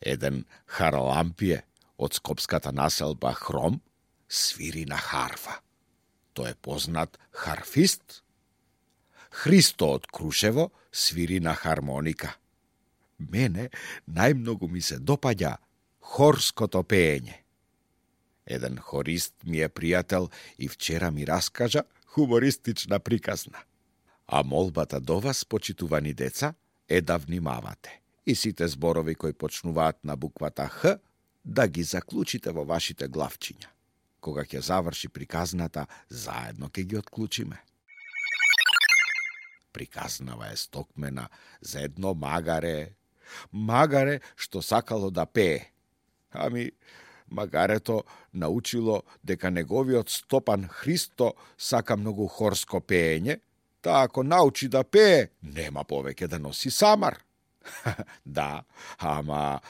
Еден Харалампие од скопската населба Хром свири на харфа. Тој е познат харфист. Христо од Крушево свири на хармоника. Мене најмногу ми се допаѓа хорското пеење. Еден хорист ми е пријател и вчера ми раскажа хумористична приказна. А молбата до вас, почитувани деца, е да внимавате и сите зборови кои почнуваат на буквата Х да ги заклучите во вашите главчиња. Кога ќе заврши приказната, заедно ќе ги отклучиме. Приказнава е стокмена за едно магаре што сакало да пее. Ами, магарето научило дека неговиот стопан Христо сака многу хорско пеење, та ако научи да пее, нема повеќе да носи самар. Да, ама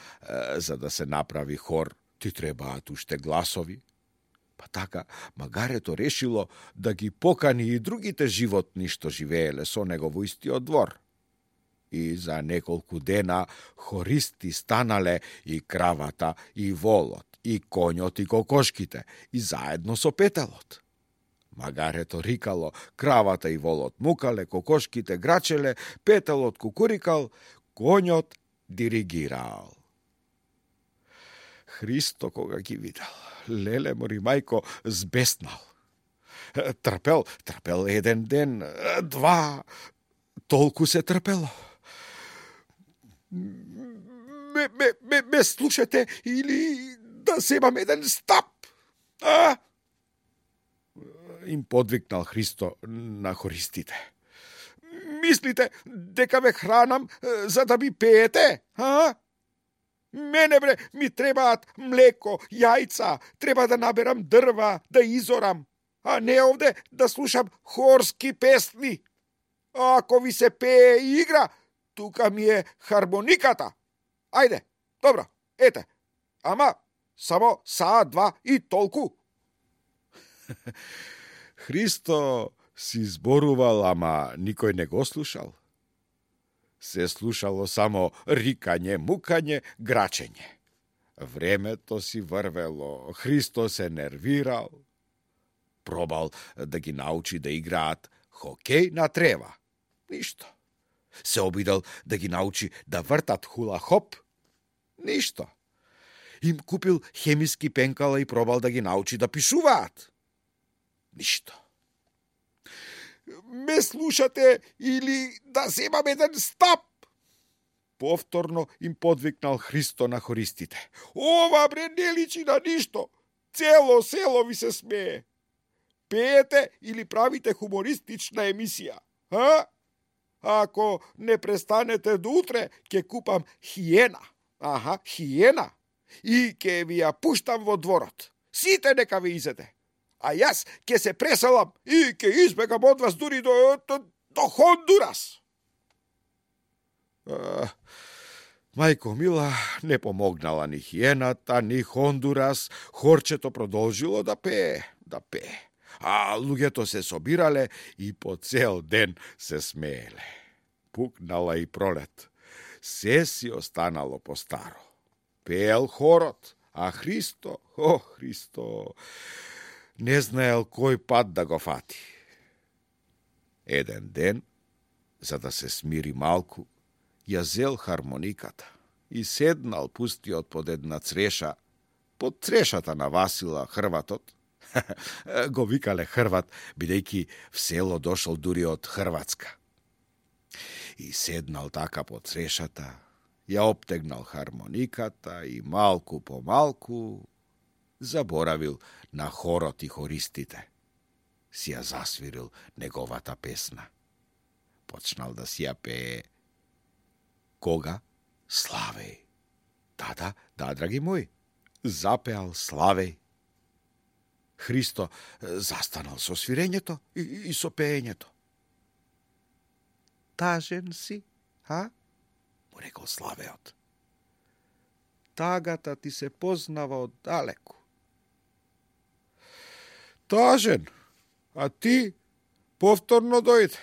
за да се направи хор, ти требаат уште гласови. Па така, магарето решило да ги покани и другите животни што живееле со него во истиот двор. И за неколку дена хористи станале и кравата, и волот, и коњот, и кокошките, и заедно со петелот. Магарето рикало, кравата и волот мукале, кокошките грачеле, петелот кукурикал, коњот диригирал. Христо кога ги видел, леле мори мајко, збеснал. Трпел еден ден, два, толку се трпело. Ме слушате или да земам еден стап? А? Им подвикнал Христо на хористите. Мислите дека ве хранам за да ми пеете? А? Мене бре, ми требаат млеко, јајца, треба да наберам дрва, да изорам, а не овде да слушам хорски песни. А ако ви се пее и игра, тука ми е хармониката. Ајде, добро, ете, ама само саат два и толку. Христо си зборувал, ама никој не го слушал. Се слушало само рикање, мукање, грачење. Времето си врвело, Христо се нервирал. Пробал да ги научи да играат хокеј на трева. Ништо. Се обидел да ги научи да вртат хула-хоп. Ништо. Им купил хемиски пенкала и пробал да ги научи да пишуваат. Ништо. Ме слушате или да земам еден стап? Повторно им подвикнал Христо на хористите. Ова бре не личи на ништо. Цело село ви се смее. Пеете или правите хумористична емисија? А? Ако не престанете до утре, ќе купам хиена. Аха, хиена. И ќе ви ја пуштам во дворот. Сите нека ви изеде. А јас ќе се преселам и ќе избегам од вас дури до Хондурас. Мајко мила, не помогнала ни хиената, ни Хондурас. Хорчето продолжило да пее. А луѓето се собирале и по цел ден се смееле. Пукнала и пролет. Се си останало по старо. Пеел хорот, а Христо, Христо, не знаел кој пат да го фати. Еден ден, за да се смири малку, ја зел хармониката и седнал пустиот под една цреша, под црешата на Васила Хрватот. Го викале Хрват, бидејќи в село дошол дури од Хрватска. И седнал така под црешата, ја обтегнал хармониката и малку по малку заборавил на хорот и хористите. Си ја засвирил неговата песна. Почнал да си ја пее. Кога? Славеј. Да, драги мој, запеал Славеј. Христо застанал со свирењето и со пеењето. Тажен си, а? Му рекол Славеот. Тагата ти се познава од далеку. Тажен, а ти повторно дојде.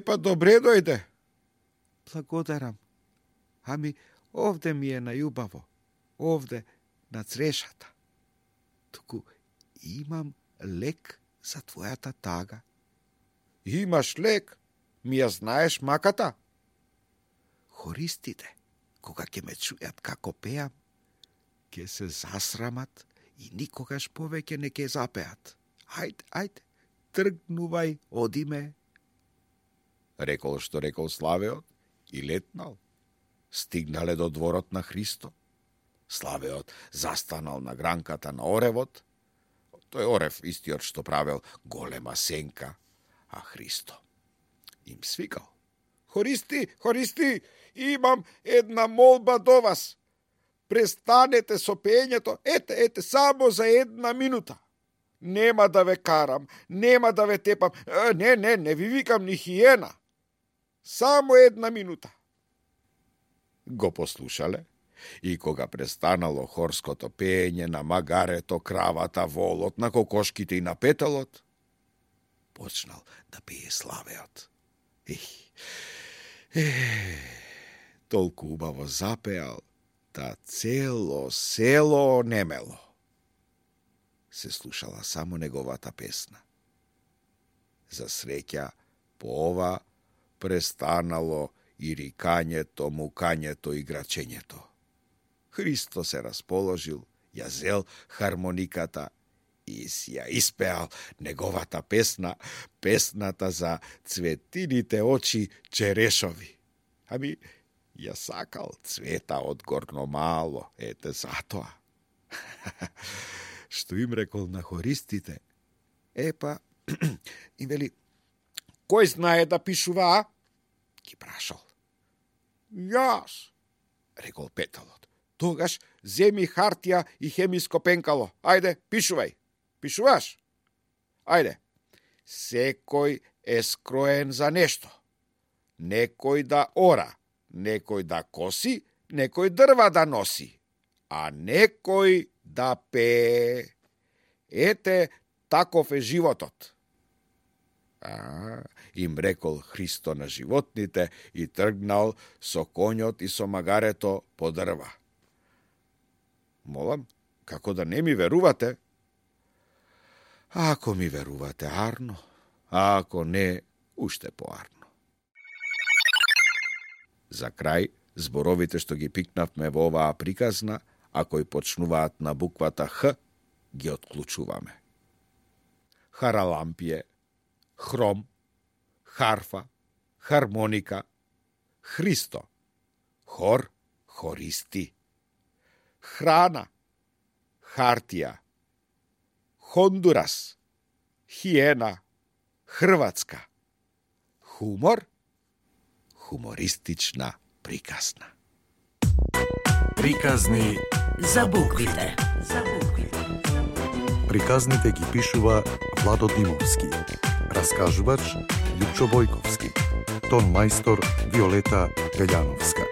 Па добре дојде. Благодарам. Ами, Овде ми е најубаво, овде на црешата. Туку имам лек за твојата тага. Имаш лек? Ми ја знаеш маката? Хористите, кога ќе ме чујат како пеам, ќе се засрамат и никогаш повеќе не ќе запеат. Ајде, тргнувај, оди ме. Рекол што рекол Славеот и летнал. Стигнале до дворот на Христо. Славеот застанал на гранката на оревот. Тој орев истиот што правел голема сенка, а Христо им свикал. Хористи, имам една молба до вас. Престанете со пењето, ете, само за една минута. Нема да ве карам, нема да ве тепам, не ви викам ни хиена. Само една минута. Го послушале и кога престанало хорското пење на магарето, кравата, волот, на кокошките и на петалот, почнал да пее Славеот. Толку убаво запеал, да цело село немело. Се слушала само неговата песна. За среќа, по ова престанало и рикањето, мукањето и грачењето. Христо се расположил, ја зел хармониката и си ја испеал неговата песна, песната за цветините очи черешови. Ами, ја сакал цвета од горно мало, ете затоа. Што им рекол на хористите? Епа, им вели, кој знае да пишува, а? Ги прашал. Јас, рекол петалот. Тогаш земи хартија и хемиско пенкало. Ајде, пишувај. Пишуваш? Ајде. Секој е скроен за нешто. Некој да ора, некој да коси, некој дрва да носи, а некој да пее. Ете, таков е животот. Им рекол Христо на животните и тргнал со конјот и со магарето по дрва. Молам, како да не ми верувате? Ако ми верувате, арно, а ако не, уште поарно. За крај, зборовите што ги пикнавме во оваа приказна, а кои почнуваат на буквата Х, ги отклучуваме. Харалампие, хром, харфа, хармоника, Христо, хор, хористи, храна, хартија, Хондурас, хиена, Хрватска, хумор, хумористична приказна. Приказни за буквите. Приказните ги пишува Владо Димовски. Раскажувач Лјупчо Бојковски. Тон мајстор Виолета Гаљановска.